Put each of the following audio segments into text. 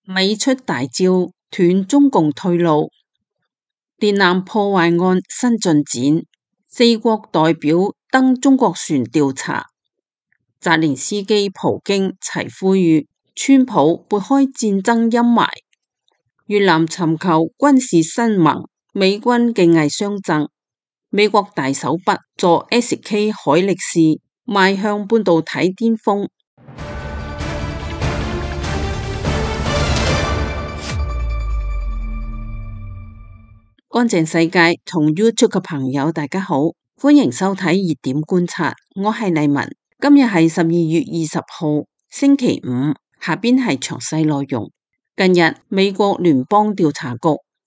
美出大招斷中共退路，電纜破壞案新進展，四國代表登中國船調查，澤連斯基、普京齊呼籲川普撥開戰爭陰霾，越南尋求軍事新盟，美軍技藝相贈，美國大手筆助 SK 海力士邁向半導體巔峰。乾淨世界同 YouTube 嘅朋友大家好，歡迎收睇熱點觀察，我係麗文。今日係12月20號星期五，下邊係詳細內容。近日美國聯邦調查局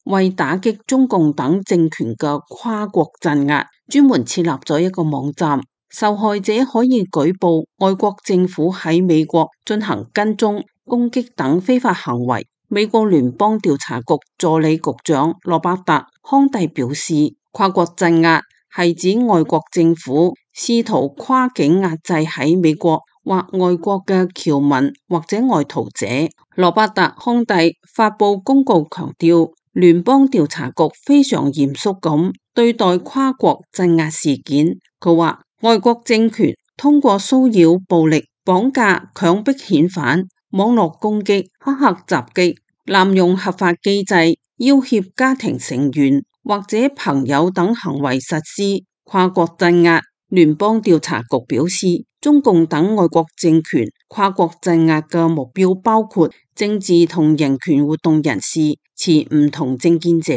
為打擊中共等政權嘅跨國鎮壓，專門設立咗一個網站，受害者可以舉報外國政府喺美國進行跟蹤、攻擊等非法行為。美國聯邦調查局助理局長羅伯特康蒂表示，跨國鎮壓係指外國政府試圖跨境壓制喺美國或外國嘅僑民或者外逃者。羅伯特康蒂發佈公告強調，聯邦調查局非常嚴肅咁對待跨國鎮壓事件。佢話，外國政權通過騷擾、暴力、綁架、強迫遣返、網絡攻擊、黑客襲擊、濫用合法機制、要挾家庭成員或者朋友等行為實施跨國鎮壓。聯邦調查局表示，中共等外國政權跨國鎮壓嘅目標包括政治同人權活動人士、持唔同政見者、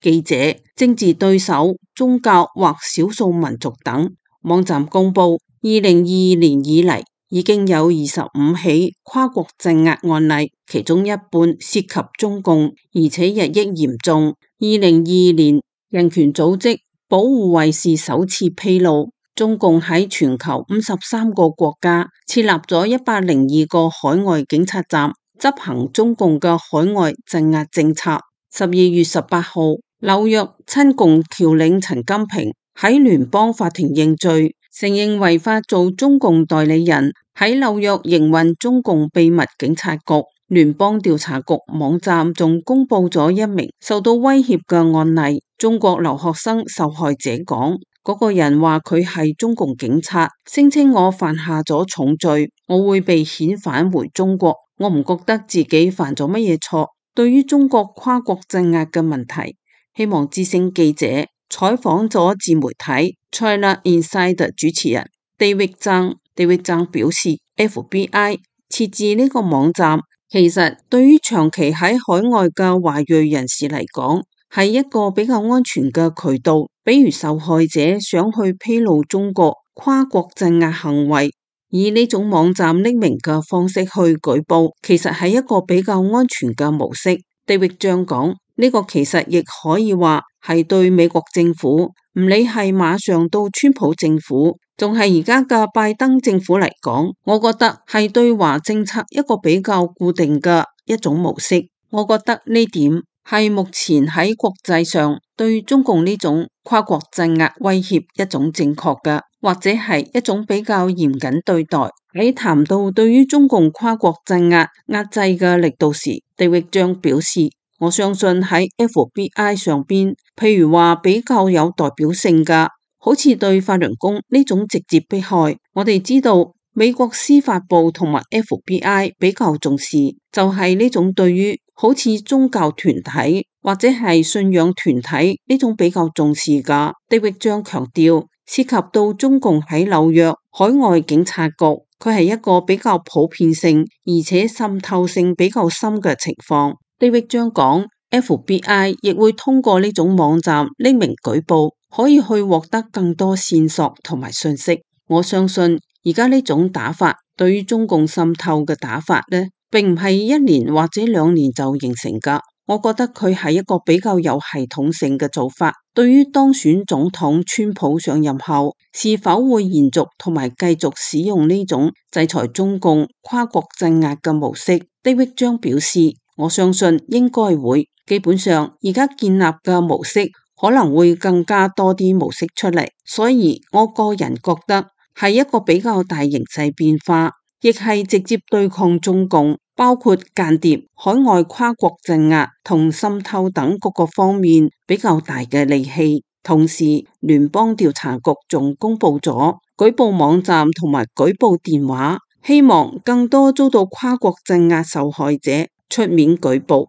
記者、政治對手、宗教或少數民族等。網站公布，2022年以嚟已經有25起跨國鎮壓案例，其中一半涉及中共，而且日益嚴重。2022年，人權組織保護衛士首次披露，中共喺全球53個國家設立咗102個海外警察站，執行中共嘅海外鎮壓政策。12月18號，紐約親共僑領陳金平喺聯邦法庭認罪，承認違法做中共代理人，喺紐約營運中共秘密警察局。聯邦調查局網站仲公布咗一名受到威脅嘅案例，中國留學生受害者講，嗰個人話佢係中共警察，聲稱我犯下咗重罪，我會被遣返回中國，我唔覺得自己犯咗乜嘢錯。對於中國跨國鎮壓嘅問題，希望之聲記者採訪咗自媒體 China Insider 主持人 David Zhang表示， FBI 設置呢個網站其實對於長期喺海外嘅華裔人士嚟講係一個比較安全嘅渠道，比如受害者想去披露中國跨國鎮壓行為，以呢種網站匿名嘅方式去舉報，其實係一個比較安全嘅模式。David Zhang講，呢個其實亦可以話係對美國政府，唔理係馬上到川普政府，仲係而家嘅拜登政府嚟講，我覺得係對華政策一個比較固定嘅一種模式。我覺得呢點係目前喺國際上對中共呢種跨國鎮壓威脅一種正確嘅，或者係一種比較嚴謹對待。喺談到對於中共跨國鎮壓壓制嘅力度時，地域將表示，我相信喺 FBI 上邊，譬如話比較有代表性嘅，好似對法輪功呢種直接迫害，我哋知道美國司法部同埋 FBI 比較重視，就係呢種對於好似宗教團體或者係信仰團體呢種比較重視嘅。地域將強調，涉及到中共喺紐約海外警察局，佢係一個比較普遍性而且滲透性比較深嘅情況。地域將講 FBI 亦會通過呢種網站匿名舉報，可以去獲得更多線索同埋信息。我相信而家呢種打法對於中共滲透嘅打法呢，並唔係1年或者2年就形成噶。我覺得佢係一個比較有系統性嘅做法。對於當選總統川普上任後是否會延續同埋繼續使用呢種制裁中共跨國鎮壓嘅模式，地域將表示，我相信應該會。基本上而家建立嘅模式可能會更加多啲模式出嚟，所以我個人覺得係一個比較大形勢變化，亦係直接對抗中共，包括間諜、海外跨國鎮壓同滲透等各個方面比較大嘅利器。同時，聯邦調查局仲公布咗舉報網站同埋舉報電話，希望更多遭到跨國鎮壓受害者出面舉報。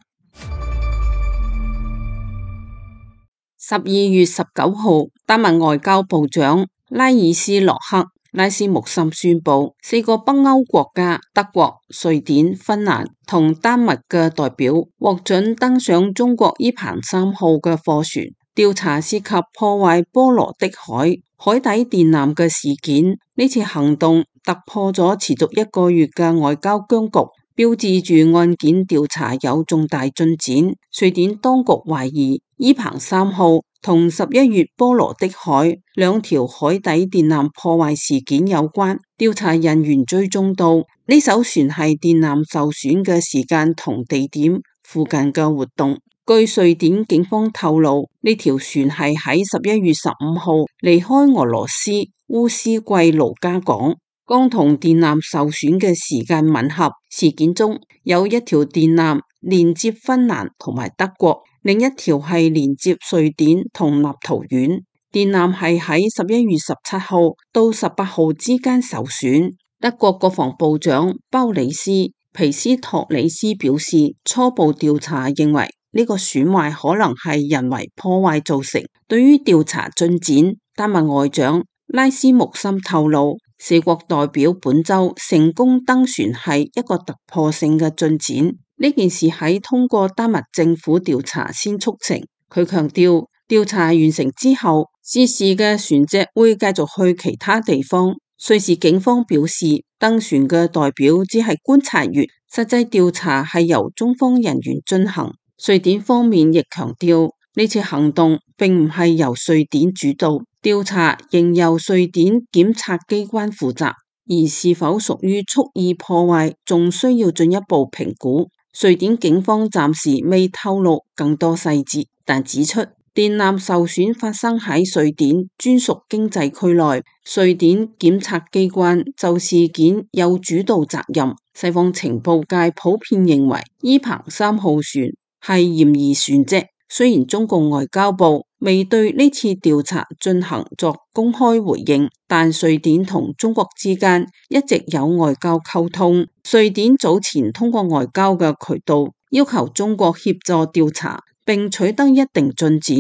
12月19號，丹麥外交部長拉爾斯洛克拉斯穆森宣布，4個北歐國家德國、瑞典、芬蘭同丹麥嘅代表獲准登上中國伊鵬3號嘅貨船，調查涉及破壞波羅的海底電纜嘅事件。呢次行動突破咗持續1個月嘅外交僵局，標誌住案件調查有重大進展。瑞典當局懷疑伊鵬3號同11月波羅的海2條海底電纜破壞事件有關。調查人員追蹤到呢艘船係電纜受損嘅時間同地點附近嘅活動。據瑞典警方透露，呢條船係喺11月15號離開俄羅斯烏斯季盧加港，剛同電纜受損嘅時間吻合。事件中有1條電纜連接芬蘭同埋德國，另一條係連接瑞典同立陶宛。電纜係喺11月17號到18號之間受損。德國國防部長鮑里斯皮斯托里斯表示，初步調查認為呢個損壞可能係人為破壞造成。對於調查進展，丹麥外長拉斯穆森透露，4國代表本周成功登船係一個突破性嘅進展。呢件事喺通過丹麥政府調查先促成。佢強調，調查完成之後，涉事嘅船隻會繼續去其他地方。瑞士警方表示，登船嘅代表只係觀察員，實際調查係由中方人員進行。瑞典方面亦強調，呢次行動並唔係由瑞典主導，調查仍由瑞典檢察機關負責，而是否屬於蓄意破壞，仲需要進一步評估。瑞典警方暫時未透露更多細節，但指出電纜受損發生喺瑞典專屬經濟區內，瑞典檢察機關就事件有主導責任。西方情報界普遍認為伊鵬3號船係嫌疑船隻，雖然中共外交部未對呢次調查進行作公開回應，但瑞典同中國之間一直有外交溝通。瑞典早前通過外交嘅渠道要求中國協助調查，並取得一定進展。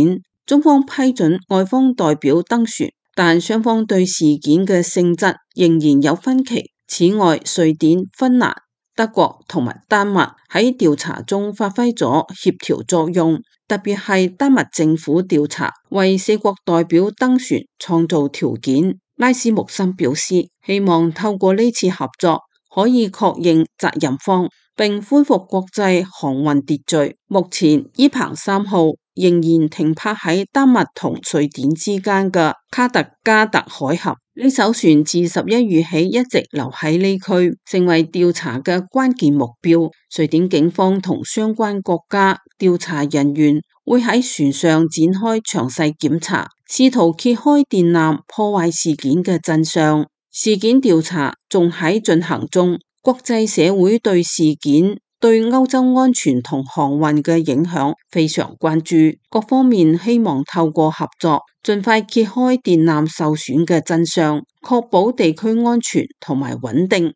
中方批准外方代表登船，但雙方對事件嘅性質仍然有分歧。此外，瑞典、芬蘭、德國同埋丹麥喺調查中發揮咗協調作用，特別係丹麥政府調查為4國代表登船創造條件。拉斯穆森表示，希望透過呢次合作可以確認責任方，並恢復國際航運秩序。目前伊鵬3號仍然停泊喺丹麥同瑞典之間嘅卡特加特海峽。呢艘船自11月起一直留喺呢區，成為調查嘅關鍵目標。瑞典警方同相關國家調查人員會喺船上展開詳細檢查，試圖揭開電纜破壞事件嘅真相。事件調查仲喺進行中，國際社會對事件對歐洲安全同航運嘅影響非常關注，各方面希望透過合作，盡快揭開電纜受損嘅真相，確保地區安全同埋穩定。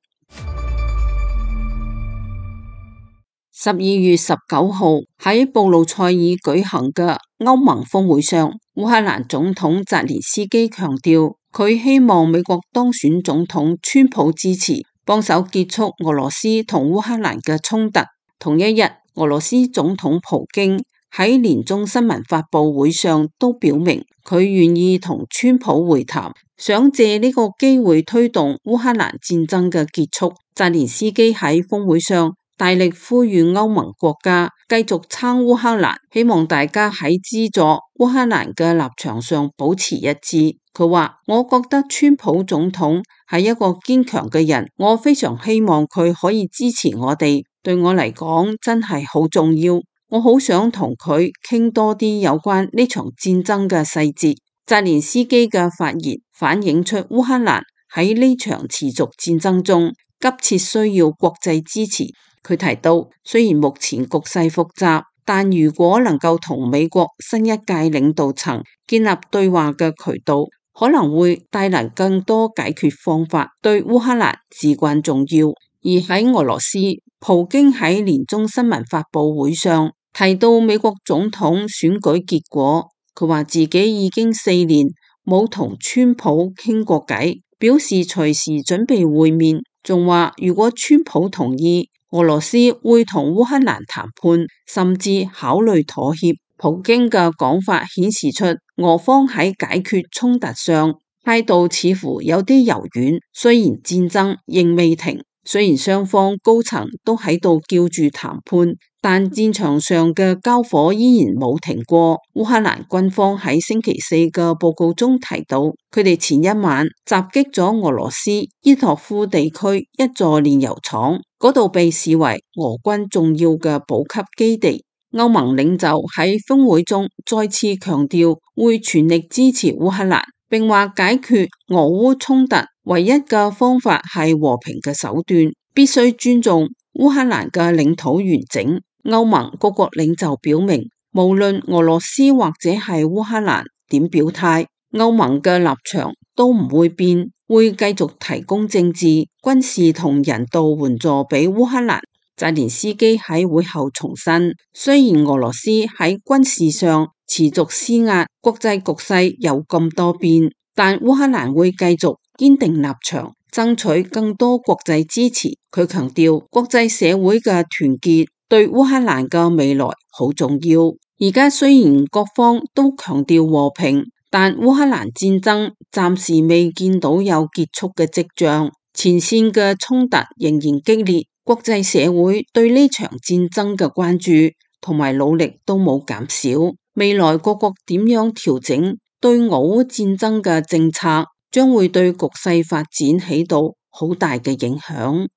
12月19號喺布魯塞爾舉行嘅歐盟峰會上，烏克蘭總統澤連斯基強調，佢希望美國當選總統川普支持，幫手結束俄羅斯同烏克蘭嘅衝突。同一日，俄羅斯總統普京喺年終新聞發佈會上都表明，佢願意同川普會談，想借呢個機會推動烏克蘭戰爭嘅結束。澤連斯基喺峰會上大力呼籲歐盟國家繼續撐烏克蘭，希望大家喺資助烏克蘭嘅立場上保持一致。佢話：我覺得川普總統係一個堅強嘅人，我非常希望佢可以支持我哋，對我嚟講真係好重要。我好想同佢傾多啲有關呢場戰爭嘅細節。澤連斯基嘅發言反映出烏克蘭喺呢場持續戰爭中急切需要國際支持。佢提到，雖然目前局勢複雜，但如果能夠同美國新一屆領導層建立對話嘅渠道，可能會帶來更多解決方法，對烏克蘭至關重要。而喺俄羅斯，普京喺年終新聞發佈會上提到美國總統選舉結果，佢話自己已經4年冇同川普傾過偈，表示隨時準備會面，仲話如果川普同意，俄羅斯會同烏克蘭談判，甚至考慮妥協。普京嘅講法顯示出俄方喺解決衝突上態度似乎有啲柔軟，雖然戰爭仍未停，雖然雙方高層都喺度叫住談判，但戰場上嘅交火依然冇停過。烏克蘭軍方喺星期四嘅報告中提到，佢哋前一晚襲擊咗俄羅斯伊托夫地區一座煉油廠，嗰度被視為俄軍重要嘅補給基地。歐盟領袖喺峰會中再次強調會全力支持烏克蘭，並話解決俄烏衝突唯一嘅方法係和平嘅手段，必須尊重烏克蘭嘅領土完整。歐盟各國領袖表明，無論俄羅斯或者係烏克蘭點表態，歐盟嘅立場都唔會變，會繼續提供政治、軍事同人道援助俾烏克蘭。澤連斯基喺會後重申，雖然俄羅斯喺軍事上持續施壓，國際局勢有咁多變，但烏克蘭會繼續堅定立場，爭取更多國際支持。佢強調，國際社會嘅團結對烏克蘭嘅未來好重要。而家雖然各方都強調和平，但烏克蘭戰爭暫時未見到有結束嘅跡象，前線嘅衝突仍然激烈。國際社會對呢場戰爭嘅關注同埋努力都冇減少，未來各國點樣調整對俄烏戰爭嘅政策，將會對局勢發展起到好大嘅影響。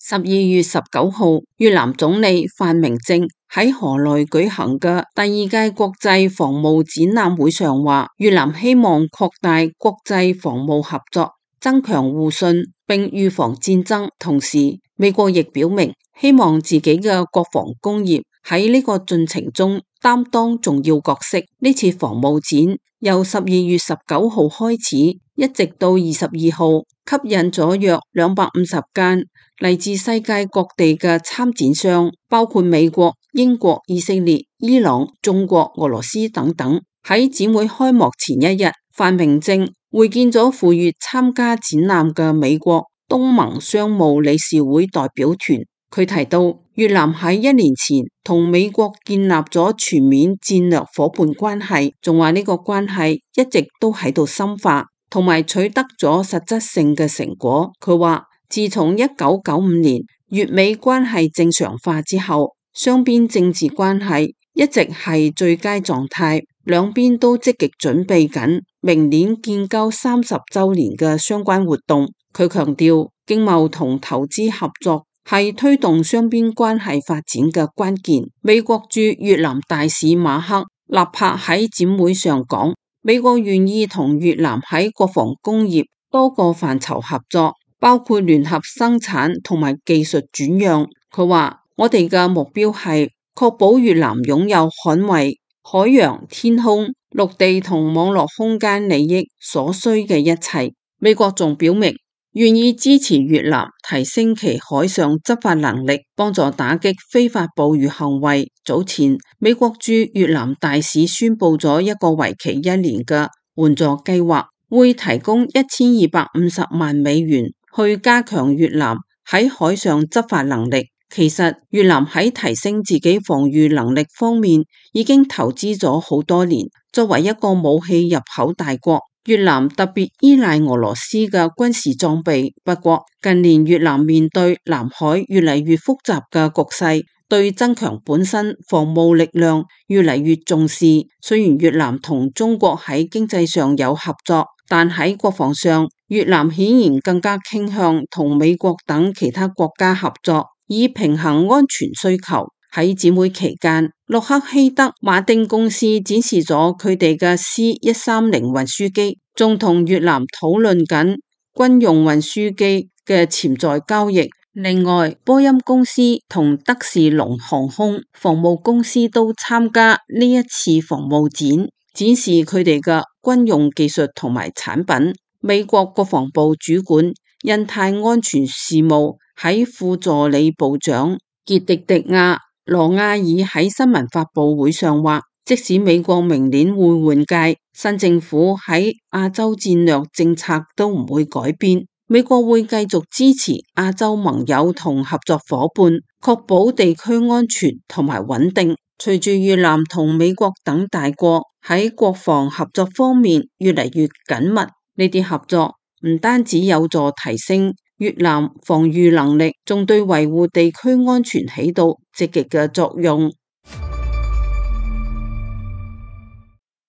12月19號，越南總理范明政喺河內舉行嘅第2屆國際防務展覽會上話，越南希望擴大國際防務合作，增強互信並預防戰爭。同時，美國亦表明希望自己嘅國防工業喺呢個進程中擔當重要角色。呢次防務展由12月19號開始，一直到22號，吸引咗約250間嚟自世界各地嘅參展商，包括美國、英國、以色列、伊朗、中國、俄羅斯等等。喺展會開幕前一日，范明政會見咗赴越參加展覽嘅美國東盟商務理事會代表團。佢提到，越南喺1年前同美國建立咗全面戰略夥伴關係，仲話呢個關係一直都喺度深化，同埋取得咗實質性嘅成果。佢話，自從1995年越美關係正常化之後，雙邊政治關係一直係最佳狀態，兩邊都積極準備緊明年建交30週年嘅相關活動。佢強調，經貿同投資合作係推動雙邊關係發展嘅關鍵。美國駐越南大使馬克納帕喺展會上講，美國願意同越南喺國防工業多個範疇合作，包括聯合生產同埋技術轉讓。佢話，我哋嘅目標係確保越南擁有捍衛海洋、天空、陸地同網絡空間利益所需嘅一切。美國仲表明願意支持越南提升其海上執法能力，幫助打擊非法捕魚行為。早前，美國駐越南大使宣布咗一個為期1年嘅援助計劃，會提供1250萬美元去加強越南喺海上執法能力。其實越南喺提升自己防禦能力方面已經投資咗好多年。作為一個武器入口大國，越南特別依賴俄羅斯嘅軍事裝備。不過近年越南面對南海越嚟越複雜嘅局勢，對增強本身防務力量越嚟越重視。雖然越南同中國喺經濟上有合作，但喺國防上，越南顯然更加傾向同美國等其他國家合作，以平衡安全需求。喺展會期間，洛克希德馬丁公司展示咗佢哋嘅 C-130運輸機，仲同越南討論緊軍用運輸機嘅潛在交易。另外，波音公司同德士隆航空防務公司都參加呢一次防務展，展示佢哋嘅軍用技術同埋產品。美國國防部主管印太安全事務喺副助理部長傑迪迪亞羅亞爾喺新聞發佈會上話，即使美國明年會換屆，新政府喺亞洲戰略政策都唔會改變。美國會繼續支持亞洲盟友同合作夥伴，確保地區安全同埋穩定。隨住越南同美國等大國喺國防合作方面越嚟越緊密，呢啲合作唔單止有助提升越南防禦能力，仲對維護地區安全起到積極嘅作用。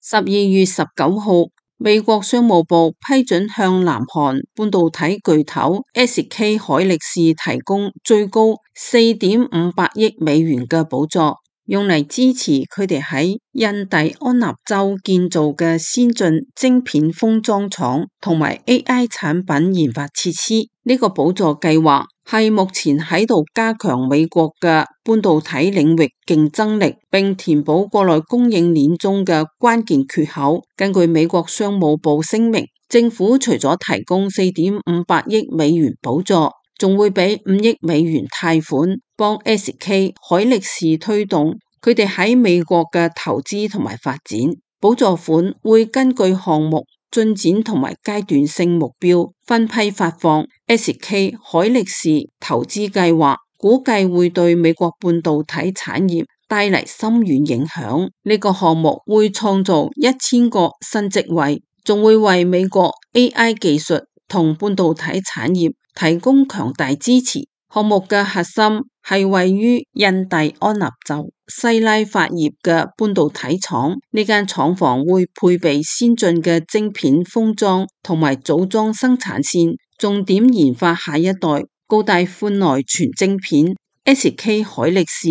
12月19號，美國商務部批准向南韓半導體巨頭 SK 海力士提供最高4.58億美元嘅補助，用嚟支持佢哋喺印第安納州建造嘅先進晶片封裝廠同埋 AI 產品研發設施。呢個補助計劃係目前喺度加強美國嘅半導體領域競爭力，並填補國內供應鏈中嘅關鍵缺口。根據美國商務部聲明，政府除咗提供4.58億美元補助，仲會俾5億美元貸款，幫 SK 海力士推動佢哋喺美國嘅投資同埋發展。補助款會根據項目進展同埋階段性目標分批發放。SK 海力士投資計劃估計會對美國半導體產業帶嚟深遠影響。呢個項目會創造1000個新職位，仲會為美國 AI 技術同半導體產業提供強大支持。項目嘅核心係位於印第安納州西拉法葉嘅半導體廠，呢間廠房會配備先進嘅晶片封裝同埋組裝生產線，重點研發下一代高帶寬內存晶片。SK 海力士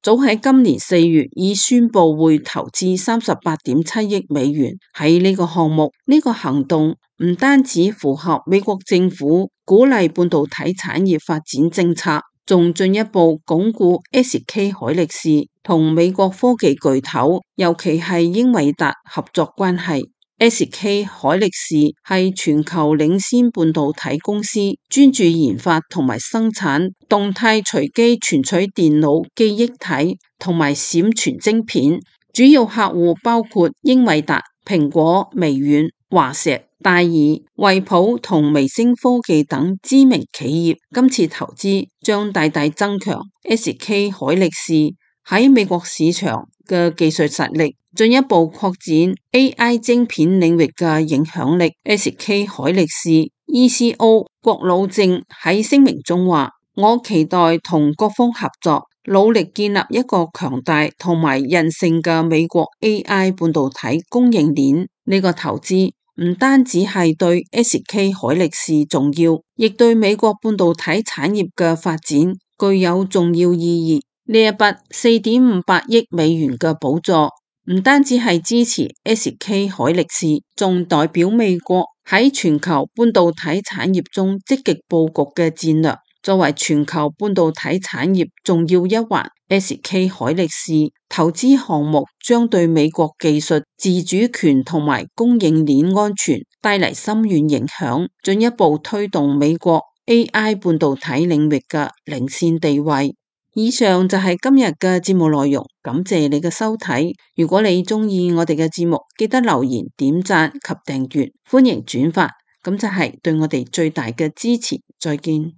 早喺今年4月已宣布會投資38.7億美元喺呢個項目。呢個行動唔單止符合美國政府鼓勵半導體產業發展政策，仲進一步鞏固 SK 海力士同美國科技巨頭，尤其係英偉達合作關係。SK 海力士係全球領先半導體公司，專注研發同埋生產動態隨機存取電腦記憶體同埋閃存晶片，主要客戶包括英偉達、蘋果、微軟、華碩、戴爾、惠普同微星科技等知名企業。今次投資將大大增強 SK 海力士喺美國市場嘅技術實力，進一步擴展 AI 晶片領域嘅影響力。SK 海力士 ECO 郭老正喺聲明中話：我期待同各方合作，努力建立一個強大同埋韌性嘅美國 AI 半導體供應鏈。呢個投資唔單止係對 SK 海力士重要，亦對美國半導體產業嘅發展具有重要意義。呢一筆4.58億美元嘅補助唔單止係支持 SK 海力士，仲代表美國喺全球半導體產業中積極佈局嘅戰略。作為全球半導體產業重要一環，SK 海力士投資項目將對美國技術自主權同埋供應鏈安全帶嚟深遠影響，進一步推動美國 AI 半導體領域嘅領先地位。以上就係今日嘅節目內容，感謝你嘅收睇。如果你鍾意我哋嘅節目，記得留言、點讚及訂閱，歡迎轉發，咁就係對我哋最大嘅支持。再見。